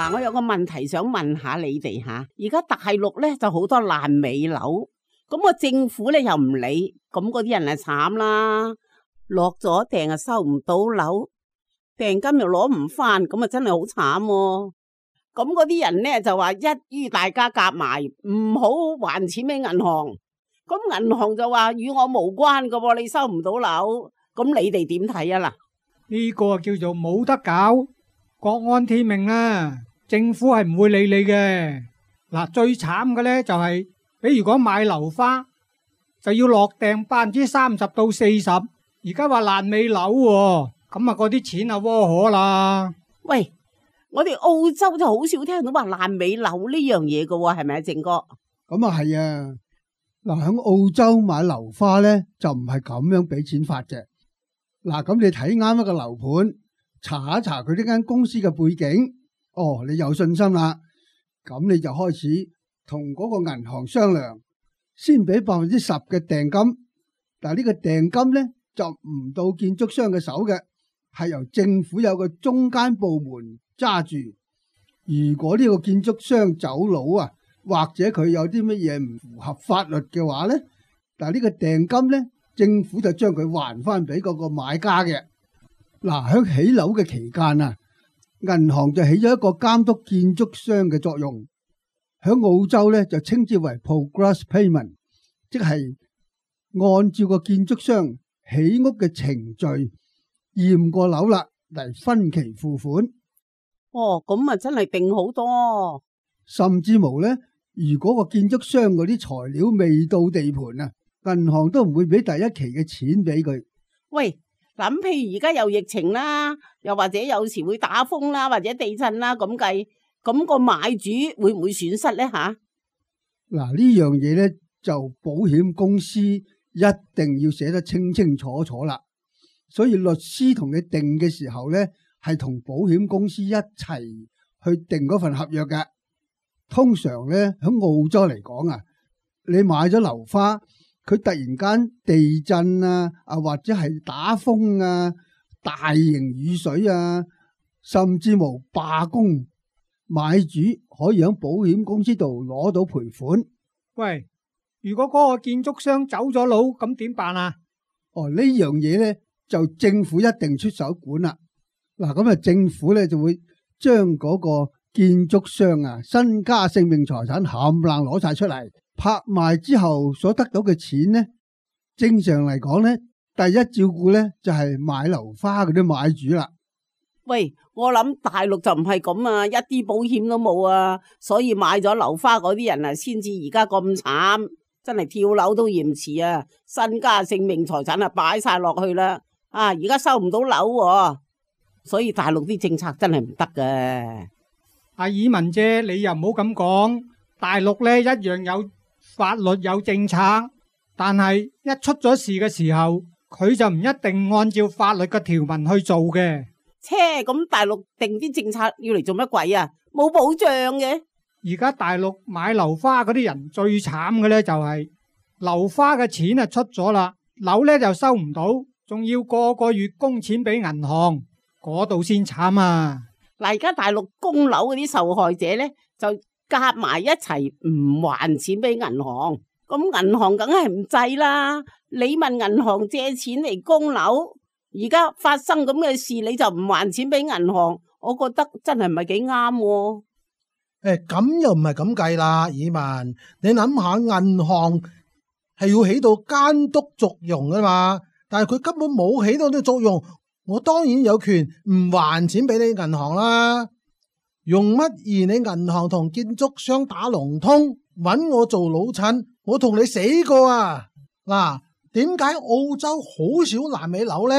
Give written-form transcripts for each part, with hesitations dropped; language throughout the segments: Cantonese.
嗱，我有個問題想問下你哋吓，而家大陸咧就好多爛尾樓，咁個政府咧又唔理，咁嗰啲人啊慘啦，落咗訂啊收唔到樓，訂金又攞唔翻，咁啊真係好慘喎。咁嗰啲人咧就話一於大家夾埋，唔好還錢俾銀行，咁銀行就話與我無關噶喎，你收唔到樓，咁你哋點睇啊？嗱，呢個叫做冇得搞，國安天命啦，政府係唔會理你嘅。嗱，最慘嘅呢就係，比如講買樓花就要落訂30%到40%，而家話爛尾樓喎，咁啊嗰啲錢啊窩可啦。喂，我哋澳洲就好少聽到話爛尾樓呢樣嘢噶喎，係咪啊，正哥？咁啊係啊，嗱喺澳洲買樓花咧就唔係咁樣俾錢法嘅。嗱，咁你睇啱一個樓盤，查一查佢呢間公司嘅背景，哦，你有信心啦，咁你就開始同嗰個銀行商量，先俾10%嘅訂金。但係呢個訂金咧就唔到建築商嘅手嘅，係由政府有個中間部門揸住。如果呢個建築商走佬啊，或者佢有啲乜嘢唔符合法律嘅話咧，但係呢個訂金咧，政府就將佢還翻俾嗰個買家嘅。嗱，喺起樓嘅期間啊，銀行就起咗一個監督建築商嘅作用。喺澳洲咧就稱之為 progress payment， 即係按照個建築商起屋嘅程序驗過樓啦嚟分期付款。哦，咁啊真係定好多。甚至無咧，如果個建築商嗰啲材料未到地盤啊，銀行都唔會俾第一期嘅錢俾佢。喂，嗱，譬如而家有疫情啦，又或者有時會打風啦，或者地震啦咁計，咁個買主會唔會損失咧吓？嗱，呢樣嘢咧就保險公司一定要寫得清清楚楚啦。所以律師同你定嘅時候咧，係同保險公司一齊去定嗰份合約嘅。通常咧喺澳洲嚟講啊，你買咗樓花，佢突然間地震啊，或者係打風啊、大型雨水啊，甚至無罷工，買主可以喺保險公司度攞到賠款。喂，如果嗰個建築商走咗佬，咁點辦啊？哦，呢樣嘢咧就政府一定出手管啦。嗱，咁啊政府咧就會將嗰個建築商啊身家性命財產冚唪唥攞晒出嚟，拍賣之後所得到嘅錢呢，正常嚟講呢，第一照顧呢就係買樓花嗰啲買主啦。喂，我諗大陸就唔係咁啊，一啲保險都冇啊，所以買咗樓花嗰啲人啊，先至而家咁慘，真係跳樓都嫌遲啊，身家性命財產啊擺晒落去啦，啊而家收唔到樓喎，所以大陸啲政策真係唔得嘅。阿爾文姐，你又唔好咁講，大陸呢一樣有法律有政策，但係一出咗事嘅時候，佢就唔一定按照法律嘅條文去做嘅。切，咁大陸定啲政策要嚟做乜鬼啊？冇保障嘅。而家大陸買樓花嗰啲人最慘嘅呢，就係樓花嘅錢啊出咗啦，樓呢就收唔到，仲要個個月供錢俾銀行，嗰度先慘啊！嗱，而家大陸供樓嗰啲受害者咧，就夾埋一齊唔還錢俾銀行，咁銀行梗係唔制啦。你問銀行借錢嚟供樓，而家發生咁嘅事，你就唔還錢俾銀行，我覺得真係唔係幾啱喎。咁又唔係咁計啦，爾文，你諗下，銀行係要起到監督作用噶嘛，但係佢根本冇起到呢個作用。我當然有權唔還錢俾你銀行啦，用乜而你銀行同建築商打龍通，搵我做老襯，我同你死過啊！嗱，點解澳洲好少爛尾樓呢？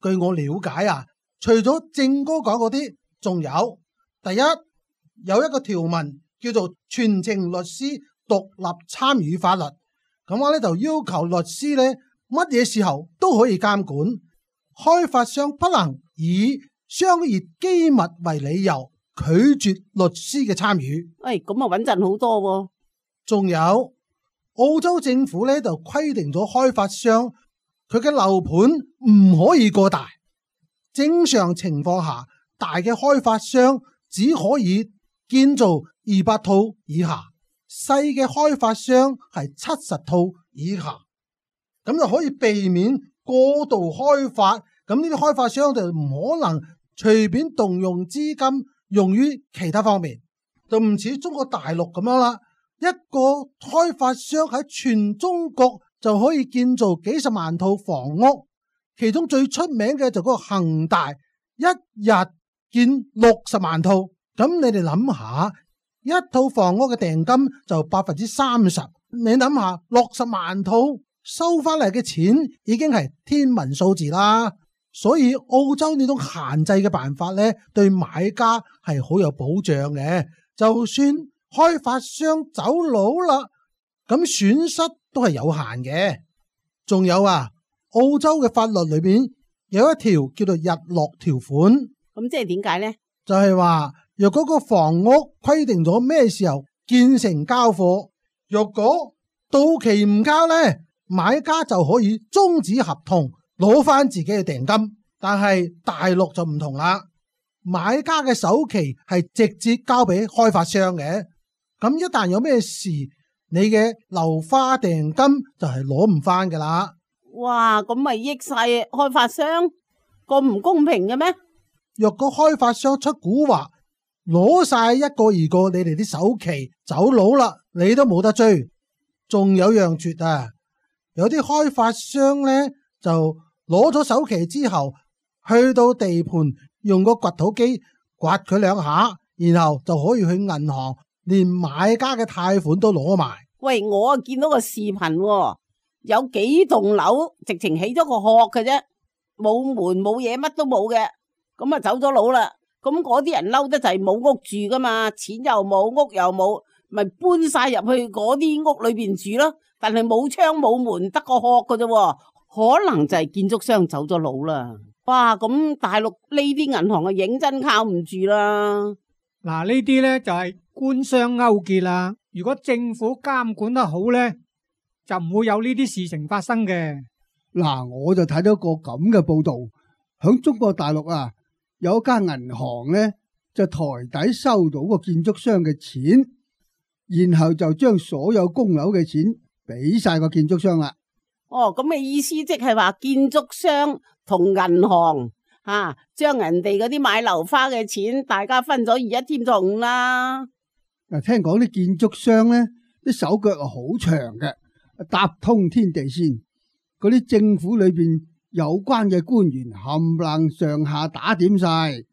據我了解啊，除咗正哥講嗰啲，仲有第一，有一個條文叫做全程律師獨立參與法律，咁我呢就要求律師呢乜嘢時候都可以監管。開發商不能以商業機密為理由拒絕律師嘅參與。咁啊穩陣好多喎。仲有澳洲政府呢就規定咗開發商佢嘅樓盤唔可以過大。正常情況下，大嘅開發商只可以建造200套以下，細嘅開發商係70套以下，咁就可以避免過度開發。咁呢啲開發商就唔可能隨便動用資金用於其他方面，就唔似中國大陸咁樣啦。一個開發商喺全中國就可以建造幾十萬套房屋，其中最出名嘅就嗰個恒大，一日建60萬套。咁你哋諗下，一套房屋嘅訂金就30%，你諗下60萬套收翻嚟嘅錢已經係天文數字啦。所以澳洲呢種限制嘅辦法呢，對買家係好有保障嘅。就算開發商走佬啦，咁損失都係有限嘅。仲有啊，澳洲嘅法律裏邊有一條叫做日落條款。咁即係點解呢？就係話，若果個房屋規定咗咩時候建成交貨，若果到期唔交呢，買家就可以終止合同，攞翻自己嘅訂金。但係大陸就唔同啦，買家嘅首期係直接交俾開發商嘅。咁一旦有咩事，你嘅樓花訂金就係攞唔翻噶啦。哇，咁咪益晒開發商，咁唔公平嘅咩？若果開發商出蠱惑，攞晒一個二個你哋啲首期走佬啦，你都冇得追。仲有樣絕啊，有啲開發商呢，就攞咗首期之後，去到地盤用個掘土機掘佢2下，然後就可以去銀行連買家嘅貸款都攞埋。喂，我啊見到個視頻喎，有幾棟樓直情起咗個殼嘅啫，冇門冇嘢，乜都冇嘅，咁啊走咗佬啦。咁嗰啲人嬲得就係冇屋住噶嘛，錢又冇，屋又冇，咪搬晒入去嗰啲屋裏邊住咯。但係冇窗冇門，得個殼嘅啫，可能就係建築商走咗佬啦。哇，咁大陸呢啲銀行啊認真靠唔住啦。嗱，呢啲呢就係官商勾結啦。如果政府監管得好呢，就唔會有呢啲事情發生嘅。嗱，我就睇到個咁嘅報道，響中國大陸啊，有一間銀行呢，就台底收到個建築商嘅錢，然後就將所有供樓嘅錢俾晒個建築商啦。哦，咁嘅意思即係話建築商同銀行將人哋嗰啲買樓花嘅錢，大家分咗而一添咗5啦。嗱，聽講啲建築商呢，啲手腳係好長嘅，搭通天地線。嗰啲政府裏邊有關嘅官員冚唪唥上下打點晒，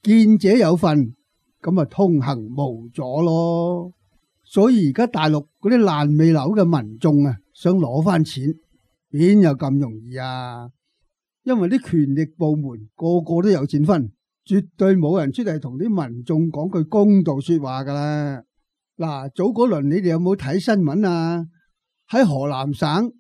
見者有份，咁啊通行無阻咯。所以而家大陸嗰啲爛尾樓嘅民眾啊，想攞翻錢，邊有咁容易啊？因為啲權力部門個個都有錢分，絕對冇人出嚟同啲民眾講句公道說話噶啦。嗱，早嗰輪你哋有冇睇新聞啊？喺河南省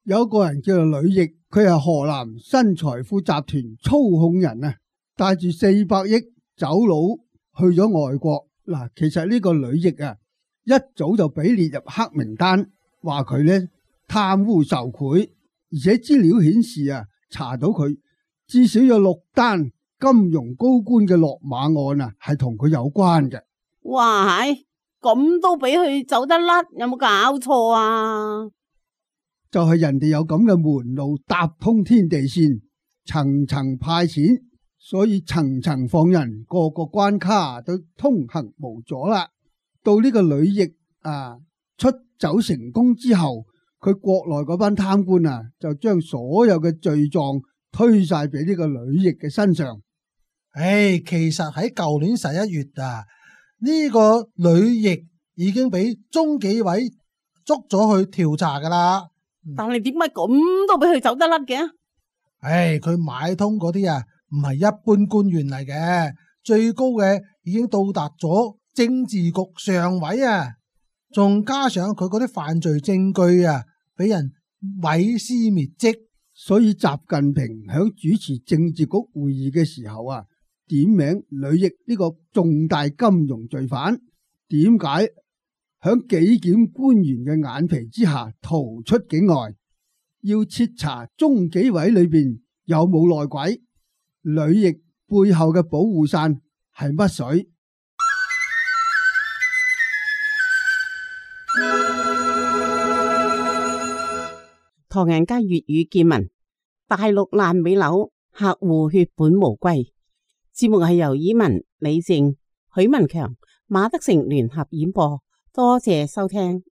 有個人叫做呂毅，佢係河南新財富集團操控人啊，帶住400億走佬去咗外國。嗱，其實呢個呂毅啊，一早就俾列入黑名單，話佢呢貪污受賄，而且資料顯示啊，查到佢至少有6單金融高官嘅落馬案啊，係同佢有關嘅。哇，係咁都俾佢走得甩，有冇搞錯啊？就係人哋有咁嘅門路搭通天地線，層層派錢，所以層層放人，個個關卡都通行無阻啦。到呢個呂毅出走成功之後，佢國內嗰班貪官啊，就將所有嘅罪狀推晒俾呢個呂毅嘅身上。其實喺舊年11月啊，呢個呂毅已經俾中紀委捉咗去調查噶啦。但係點解咁都俾佢走得甩嘅？佢買通嗰啲啊，唔係一般官員嚟嘅，最高嘅已經到達咗政治局常委啊，仲加上佢嗰啲犯罪證據啊，俾人毀屍滅跡。所以習近平響主持政治局會議嘅時候啊，點名呂毅呢個重大金融罪犯，點解響紀檢官員嘅眼皮之下逃出境外，要徹查中紀委裏邊有冇內鬼，呂毅背後嘅保護傘係乜水？唐人街粵語見聞，大陸爛尾樓客戶血本無歸。節目係由以文、李靜、許文強、馬德成聯合演播，多謝收聽。